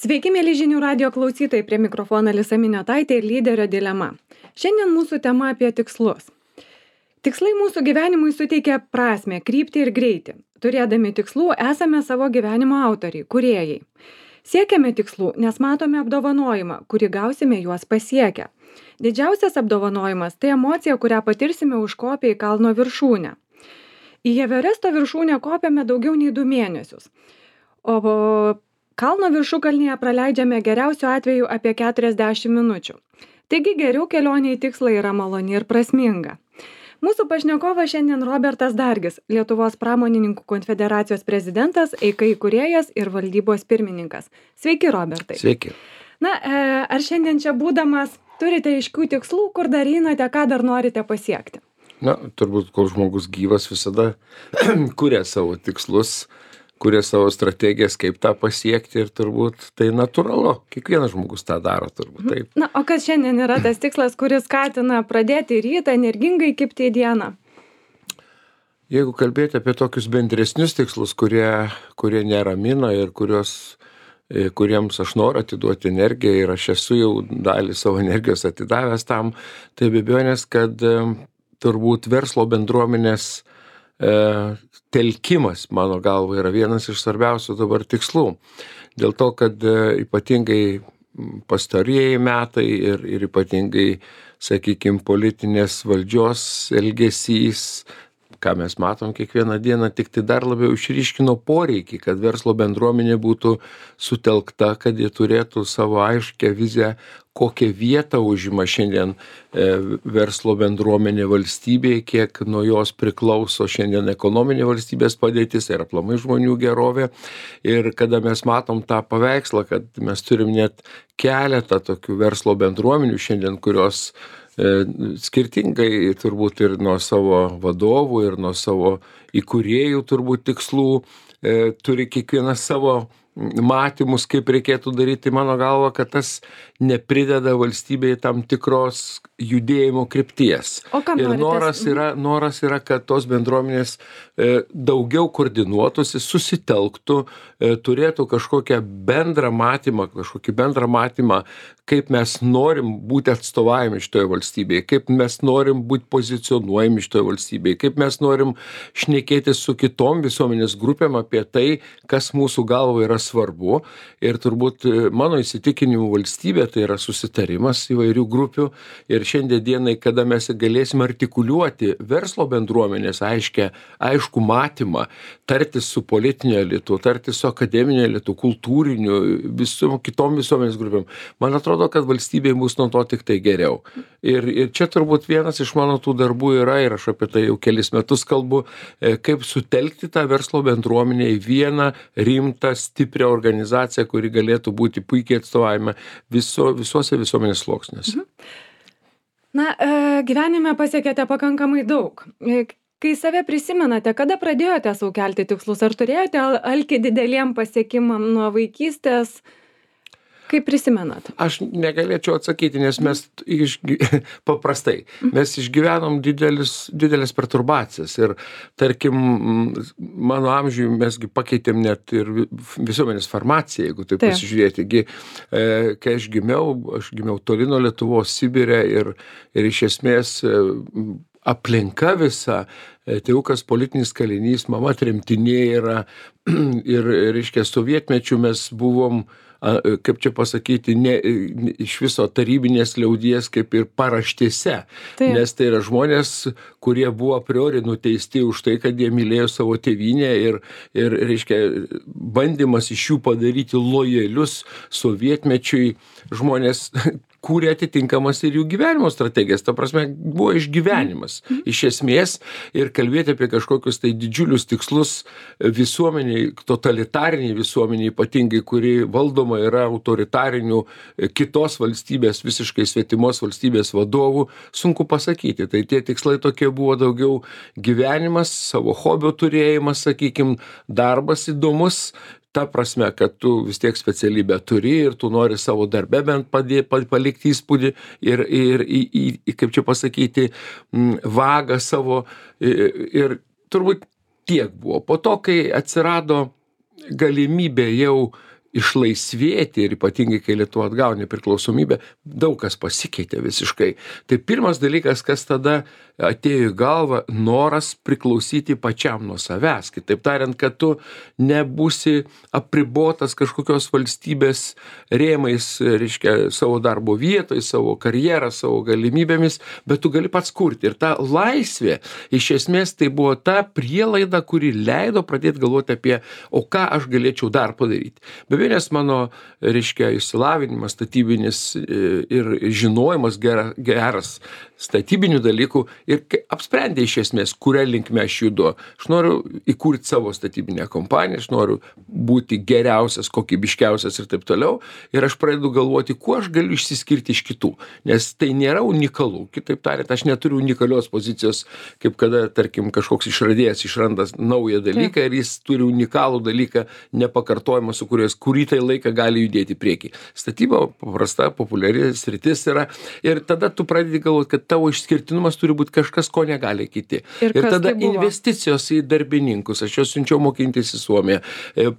Sveiki, mėly žinių radio klausytojai, prie mikrofono Alisa Miniotaitė ir lyderio dilema. Šiandien mūsų tema apie tikslus. Tikslai mūsų gyvenimui suteikia prasmę, kryptį ir greitį. Turėdami tikslų esame savo gyvenimo autoriai, kūrėjai. Siekiame tikslų, nes matome apdovanojimą, kurį gausime juos pasiekę. Didžiausias apdovanojimas tai emocija, kurią patirsime užkopę į kalno viršūnę. Į Everesto viršūnę kopėme daugiau nei 2 mėnesius. O kalno viršukalnėje praleidžiame geriausiu atveju apie 40 minučių. Taigi geriau kelionė į tikslą yra maloni ir prasminga. Mūsų pašnekovas šiandien Robertas Dargis, Lietuvos pramonininkų konfederacijos prezidentas, EIKA įkūrėjas ir valdybos pirmininkas. Sveiki, Robertai. Sveiki. Na, ar šiandien čia būdamas turite aiškių tikslų, kur dar einate, ką dar norite pasiekti? Na, turbūt, kol žmogus gyvas visada kuria savo tikslus, kuria savo strategijas, kaip tą pasiekti ir turbūt tai natūralu. Kiekvienas žmogus tą daro turbūt taip. Na, o kas šiandien yra tas tikslas, kuris skatina pradėti rytą, energingai kibti į dieną? Jeigu kalbėti apie tokius bendresnius tikslus, kurie neramina ir kuriems aš noriu atiduoti energiją ir aš esu jau dalį savo energijos atidavęs tam, tai be abejonės, kad turbūt verslo bendruomenės telkimas, mano galva, yra vienas iš svarbiausių dabar tikslų. Dėl to, kad ypatingai pastarieji metai ir ypatingai, sakykime, politinės valdžios elgesys, ką mes matom kiekvieną dieną, tik tai dar labiau išryškino poreikį, kad verslo bendruomenė būtų sutelkta, kad jie turėtų savo aiškę viziją, kokią vietą užima šiandien verslo bendruomenė valstybėje, kiek nuo jos priklauso šiandien ekonominė valstybės padėtis ir aplamai žmonių gerovė. Ir kada mes matom tą paveikslą, kad mes turim net keletą tokių verslo bendruomenių šiandien, kurios skirtingai turbūt ir nuo savo vadovų ir nuo savo įkūrėjų turbūt tikslų turi kiekvienas savo matymus, kaip reikėtų daryti. Mano galva, kad tas neprideda valstybei tam tikros judėjimo krypties. Ir noras yra, kad tos bendruomenės daugiau koordinuotųsi, susitelktų, turėtų kažkokį bendrą matymą, kaip mes norim būti atstovavimi šitoje valstybėje, kaip mes norim būti pozicionuojami šitoje valstybėje, kaip mes norim šnekėti su kitom visuomenės grupėm apie tai, kas mūsų galva yra svarbu. Ir turbūt mano įsitikinimu valstybė tai yra susitarimas įvairių grupių. Ir šiandien dienai, kada mes galėsime artikuliuoti verslo bendruomenės aišku matymą, tartis su politinio elitu, tartis su akademinio elitu, kultūriniu, kitom visuomenės grupėm, man atrodo, kad valstybei bus nuo to tik tai geriau. Ir čia turbūt vienas iš mano tų darbų yra, ir aš apie tai jau kelis metus kalbu, kaip sutelkti tą verslo bendruomenę į vieną rimtą, stiprią organizaciją, kuri galėtų būti puikiai atstovavime visuose visuomenės sluoksniuose. Na, gyvenime pasiekėte pakankamai daug. Kai save prisimenate, kada pradėjote sau kelti tikslus, ar turėjote alkį dideliem pasiekimam nuo vaikystės? Kaip prisimenat? Aš negalėčiau atsakyti, nes mes paprastai, mes išgyvenom didelės perturbacijas ir, tarkim, mano amžiui mesgi pakeitėm net ir visuomenės farmaciją, jeigu taip pasižiūrėti. Kai aš gimiau toli nuo Lietuvos, Sibire ir iš esmės aplinka visa, tėvukas politinis kalinys, mama tremtinė yra ir, reiškia, sovietmečiu mes buvom, kaip čia pasakyti, iš viso tarybinės liaudies kaip ir paraštėse, nes tai yra žmonės, kurie buvo a priori nuteisti už tai, kad jie mylėjo savo tėvynę ir reiškia, bandymas iš jų padaryti lojalius sovietmečiui žmonės kūrė atitinkamas ir jų gyvenimo strategijas. Ta prasme, buvo išgyvenimas iš esmės ir kalbėti apie kažkokius tai didžiulius tikslus visuomeniai, totalitariniai visuomeniai, ypatingai, kuri valdoma yra autoritarinių kitos valstybės, visiškai svetimos valstybės vadovų, sunku pasakyti. Tai tie tikslai tokie buvo daugiau gyvenimas, savo hobio turėjimas, sakykime, darbas įdomus, ta prasme, kad tu vis tiek specialybę turi ir tu nori savo darbe bent palikti įspūdį ir kaip čia pasakyti, vagą savo ir turbūt tiek buvo. Po to, kai atsirado galimybė jau išlaisvėti ir ypatingai, kai Lietuva atgavo nepriklausomybę, daug kas pasikeitė visiškai. Tai pirmas dalykas, kas tada atėjo į galvą, noras priklausyti pačiam nuo savęs. Kitaip tariant, kad tu nebūsi apribotas kažkokios valstybės rėmais, reiškia, savo darbo vietoj, savo karjerą, savo galimybėmis, bet tu gali pats kurti. Ir ta laisvė, iš esmės, tai buvo ta prielaida, kuri leido pradėti galvoti apie, o ką aš galėčiau dar padaryti. Be abejonės mano, reiškia, išsilavinimas statybinis ir žinojimas geras statybinių dalykų ir apsprendė iš esmės, kuria linkme aš judu. Aš noriu įkurti savo statybinę kompaniją, aš noriu būti geriausias, kokybiškiausias ir taip toliau. Ir aš pradedu galvoti, kuo aš galiu išsiskirti iš kitų. Nes tai nėra unikalu. Kitaip tariant, aš neturiu unikalios pozicijos, kaip kada, tarkim, kažkoks išradėjas išranda naują dalyką ir jis turi unikalų dalyką, nepakartojimą, su kuriuo kurį tai laiką gali judėti į priekį. Statyba paprasta, populiari sritis yra. Ir tada tu pradedi galvoti, kad tavo išskirtinumas turi būti kažkas, ko negali kiti. Ir tada investicijos į darbininkus. Aš juos siunčiau mokintis į Suomiją.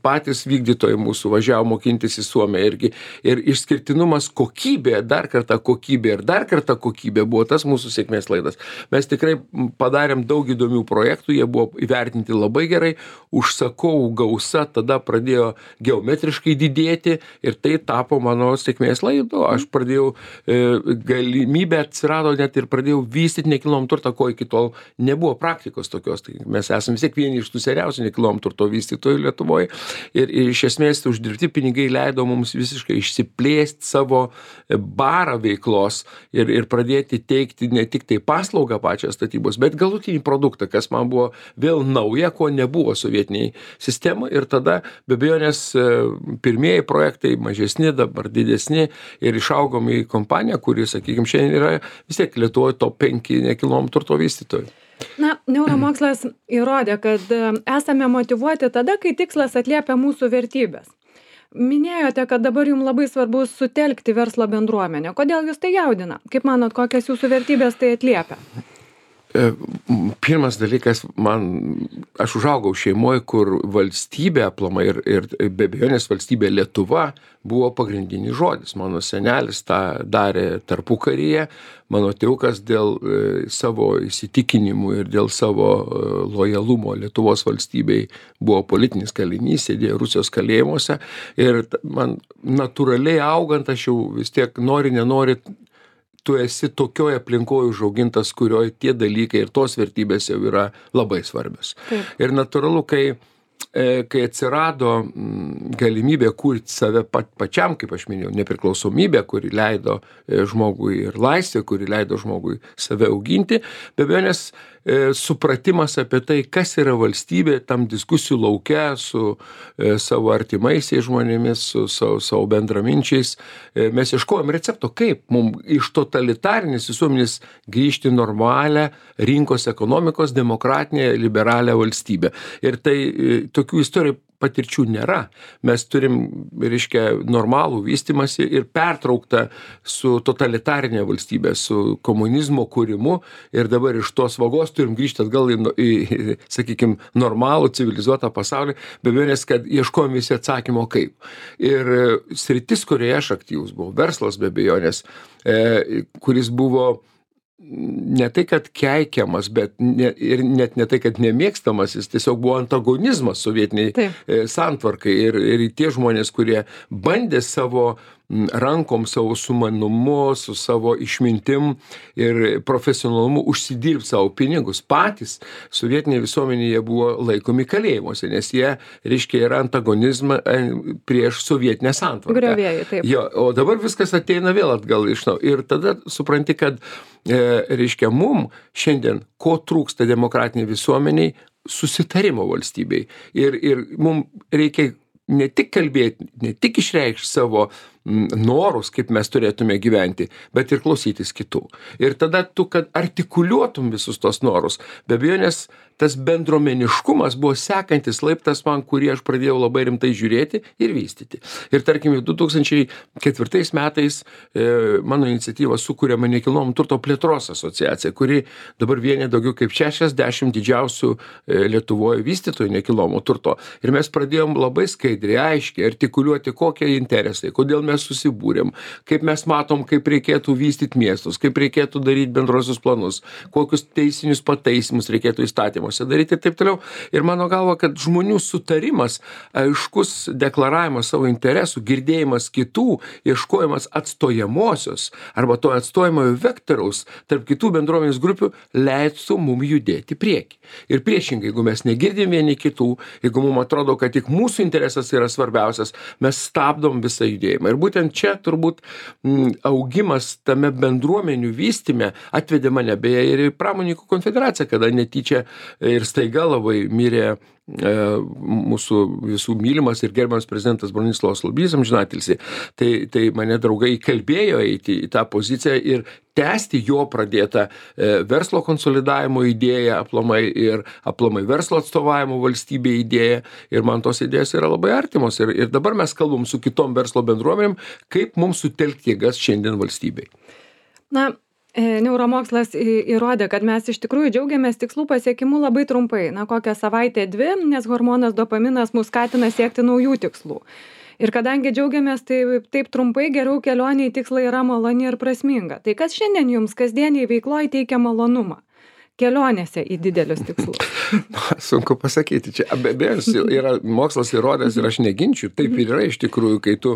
Patys vykdytojai mūsų važiavo mokintis į Suomiją irgi. Ir išskirtinumas kokybė, dar kartą kokybė ir dar kartą kokybė buvo tas mūsų sėkmės laidas. Mes tikrai padarėm daug įdomių projektų, jie buvo įvertinti labai gerai, užsakovų gausa tada pradėjo geometriškai didėti ir tai tapo mano sėkmės laidu. Aš pradėjau, galimybė atsirado net ir pradėjau vystyti nekilnojamą turtą, ko iki tol nebuvo praktikos tokios. Tai mes esame vis tiek vieni iš tų seniausių nekilnojamo turto vystytojų Lietuvoje ir iš esmės uždirbti pinigai leido mums visiškai išsiplėsti savo barą veiklos ir pradėti teikti ne tik tai paslaugą pačią statybos, bet galutinį produktą, kas man buvo vėl nauja, ko nebuvo sovietiniai sistemai. Ir tada be abejonės pirmieji projektai mažesni, dabar didesni ir išaugom į kompaniją, kuri, sakykime, šiandien yra vis tiek Lietuvoje top 5 nekilnojamo turto vystytojų. Na, neuromokslas įrodė, kad esame motyvuoti tada, kai tikslas atliepia mūsų vertybės. Minėjote, kad dabar jums labai svarbu sutelkti verslo bendruomenę. Kodėl jūs tai jaudina? Kaip manot, kokias jūsų vertybės tai atliepia? Pirmas dalykas, aš užaugau šeimoje, kur valstybė aplamai ir be abejonės valstybė Lietuva buvo pagrindinis žodis. Mano senelis tą darė tarpukaryje, mano tėvukas dėl savo įsitikinimų ir dėl savo lojalumo Lietuvos valstybei buvo politinis kalinys, sėdėjo Rusijos kalėjimuose ir man natūraliai augant, aš jau vis tiek nenori, tu esi tokioje aplinkoje užaugintas, kurioje tie dalykai ir tos vertybės jau yra labai svarbios. Taip. Ir natūralu, kai atsirado galimybė kurti save pačiam, kaip aš minėjau, nepriklausomybė, kuri leido žmogui ir laisvė, kuri leido žmogui save auginti, be abejonės supratimas apie tai, kas yra valstybė, tam diskusijų lauke su savo artimaisiais žmonėmis, su savo bendraminčiais. Mes ieškojom recepto, kaip mums iš totalitarinės visuomenės grįžti normalią rinkos ekonomikos, demokratinę, liberalią valstybę. Ir tai tokių istorijų patirčių nėra. Mes turim, reiškia, normalų vystymąsi ir pertrauktą su totalitarinė valstybė, su komunizmo kūrimu ir dabar iš tos vagos turim grįžti atgal į sakykime, normalų, civilizuotą pasaulį, be abejonės, kad ieškojom visi atsakymo kaip. Ir sritis, kurioje aš aktyvus buvau, verslas be abejonės, kuris buvo ne tai, kad keikiamas, bet ir net ne tai, kad nemėgstamas, jis tiesiog buvo antagonizmas sovietiniai santvarkai ir tie žmonės, kurie bandė savo rankom, savo sumanumu, su savo išmintim ir profesionalumu užsidirbti savo pinigus. Patys sovietinėje visuomenėje buvo laikomi kalėjimuose, nes jie, reiškia, yra antagonizmą prieš sovietinę santvarką. Griovėjai, taip. Jo, o dabar viskas ateina vėl atgal iš naujo. Ir tada supranti, kad, reiškia, mum šiandien, ko trūksta demokratiniai visuomeniai, susitarimo valstybei. Ir mum reikia ne tik kalbėti, ne tik išreikšti savo norus, kaip mes turėtume gyventi, bet ir klausytis kitų. Ir tada tu, kad artikuliuotum visus tos norus, be abejonės tas bendruomeniškumas buvo sekantis laiptas man, kurį aš pradėjau labai rimtai žiūrėti ir vystyti. Ir tarkim, 2004 metais mano iniciatyva sukūrėme nekilnojamo turto plėtros asociaciją, kuri dabar vienė daugiau kaip 60 didžiausių Lietuvoje vystytojų nekilnojamo turto. Ir mes pradėjom labai skaidriai, aiškiai artikuliuoti, kokie interesai, kodėl mes susibūrėm, kaip mes matom, kaip reikėtų vystyti miestus, kaip reikėtų daryti bendrosius planus, kokius teisinius pataisimus reikėtų įstatymuose daryti ir taip toliau. Ir mano galva, kad žmonių sutarimas, aiškus deklaravimas savo interesų, girdėjimas kitų, ieškojimas atstojamosios arba to atstojamojo vektoriaus tarp kitų bendruomenės grupių leistų mum judėti prieki. Ir priešingai, jeigu mes negirdim vieni kitų, jeigu mum atrodo, kad tik mūsų interesas yra svarbiausias, mes stabdom visą judėjimą. Ir būtent čia turbūt augimas tame bendruomenių vystyme atvedė mane beje ir į Pramonininkų konfederaciją, kada netyčia ir staiga labai mirė mūsų visų mylimas ir gerbiamas prezidentas Bronislovas Lubys, amžinatilsį. Tai mane draugai įkalbėjo eiti į tą poziciją ir tęsti jo pradėtą verslo konsolidavimo idėją aplamai verslo atstovavimo valstybė idėją. Ir man tos idėjos yra labai artimos. Ir dabar mes kalbam su kitom verslo bendruomenėm, kaip mums sutelkti jėgas šiandien valstybei. Neuromokslas įrodė, kad mes iš tikrųjų džiaugiamės tikslų pasiekimu labai trumpai, kokią savaitę, 2, nes hormonas dopaminas mus skatina siekti naujų tikslų. Ir kadangi džiaugiamės taip trumpai, geriau kelionė į tikslą yra maloni ir prasminga. Tai kas šiandien jums kasdieniai veikloje teikia malonumą? Kelionėse į didelius tikslus. Sunku pasakyti. Čia abejo yra mokslas įrodęs ir aš neginčiu. Taip ir yra iš tikrųjų, kai tu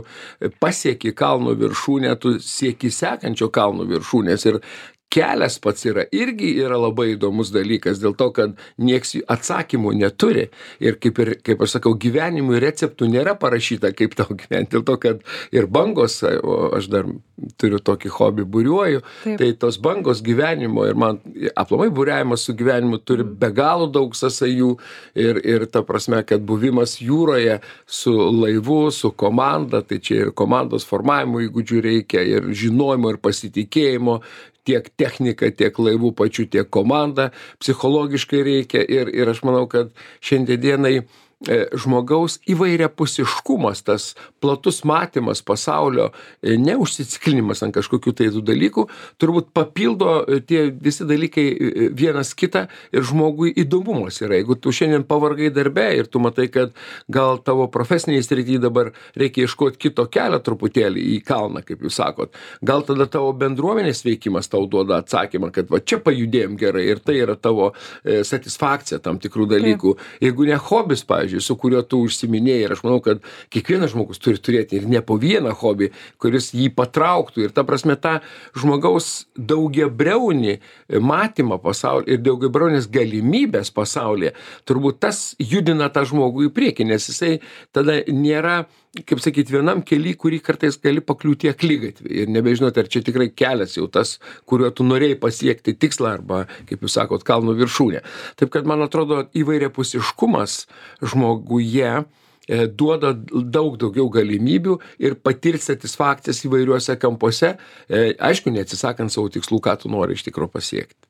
pasieki kalno viršūnę, tu sieki sekančio kalno viršūnės. Ir kelias pats irgi yra labai įdomus dalykas, dėl to, kad nieks atsakymų neturi. Ir kaip aš sakau, gyvenimui receptų nėra parašyta, kaip tau gyventi. Dėl to, kad ir bangos, o aš dar turiu tokį hobį, buriuoju, tai tos bangos gyvenimo ir man aplamai buriavimas su gyvenimu turi be galo daug sąsajų ir ta prasme, kad buvimas jūroje su laivu, su komanda, tai čia ir komandos formavimo įgūdžių reikia, ir žinojimo, ir pasitikėjimo, tiek technika, tiek laivų pačių, tiek komanda psichologiškai reikia ir aš manau, kad šiandien dienai žmogaus įvairiapusiškumas, tas platus matymas pasaulio, neužsiciklinimas ant kažkokių tai tų dalykų, turbūt papildo tie visi dalykai vienas kitą ir žmogui įdomumas yra. Jeigu tu šiandien pavargai darbe ir tu matai, kad gal tavo profesiniai srityje dabar reikia ieškoti kito kelio truputėlį į kalną, kaip jūs sakot, gal tada tavo bendruomenės veikimas tau duoda atsakymą, kad va čia pajudėjom gerai ir tai yra tavo satisfakcija tam tikrų dalykų. Jeigu ne hobis, pavyzdžiui, su kuriuo tu užsiminėjai, ir aš manau, kad kiekvienas žmogus turi turėti ir ne po vieną hobį, kuris jį patrauktų. Ir ta prasme, tą žmogaus daugiabriaunį matymą pasaulyje ir daugiabriaunės galimybės pasaulyje, turbūt tas judina tą žmogų į priekį, nes jisai tada nėra, kaip sakyti, vienam kely, kurį kartais gali pakliūti akligatvį ir nebežinoti, ar čia tikrai kelias jau tas, kuriuo tu norėjai pasiekti tikslą arba, kaip jūs sakot, kalno viršūnė. Taip kad, man atrodo, įvairiapusiškumas žmoguje duoda daug daugiau galimybių ir patirti satisfakcijas įvairiuose kampuose, aišku, neatsisakant savo tikslų, ką tu nori iš tikrųjų pasiekti.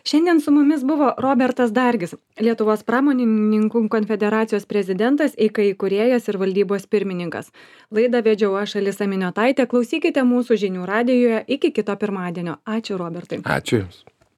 Šiandien su mumis buvo Robertas Dargis, Lietuvos Pramonininkų konfederacijos prezidentas, EIKA įkūrėjas ir valdybos pirmininkas. Laidą vedžiau aš, Alisa Miniotaitė. Klausykite mūsų žinių radijoje iki kito pirmadienio. Ačiū, Robertai. Ačiū Jums.